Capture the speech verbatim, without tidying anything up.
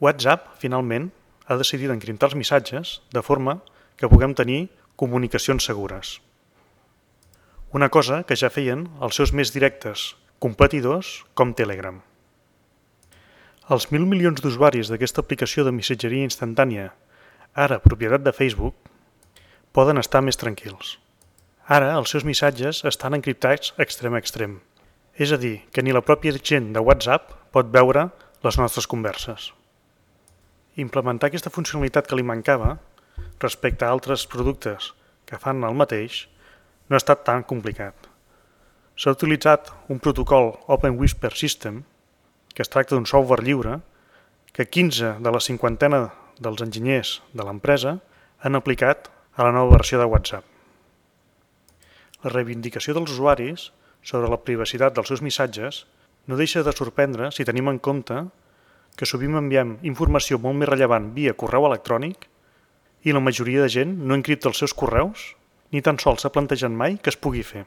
WhatsApp, finalment, ha decidit encriptar els missatges de forma que puguem tenir comunicacions segures. Una cosa que ja feien els seus més directes competidors com Telegram. Els mil milions d'usuaris d'aquesta aplicació de missatgeria instantània, ara propietat de Facebook, poden estar més tranquils. Ara els seus missatges estan encriptats extrem a extrem, és a dir, que ni la pròpia gent de WhatsApp pot veure les nostres converses. Implementar aquesta funcionalitat que li mancava respecte a altres productes que fan el mateix no ha estat tan complicat. S'ha utilitzat un protocol Open Whisper System, que es tracta d'un software lliure, que quinze de la cinquantena dels enginyers de l'empresa han aplicat a la nova versió de WhatsApp. La reivindicació dels usuaris sobre la privacitat dels seus missatges no deixa de sorprendre si tenim en compte que sovint enviem informació molt més rellevant via correu electrònic i la majoria de gent no encripta els seus correus ni tan sols s'ha plantejat mai que es pugui fer.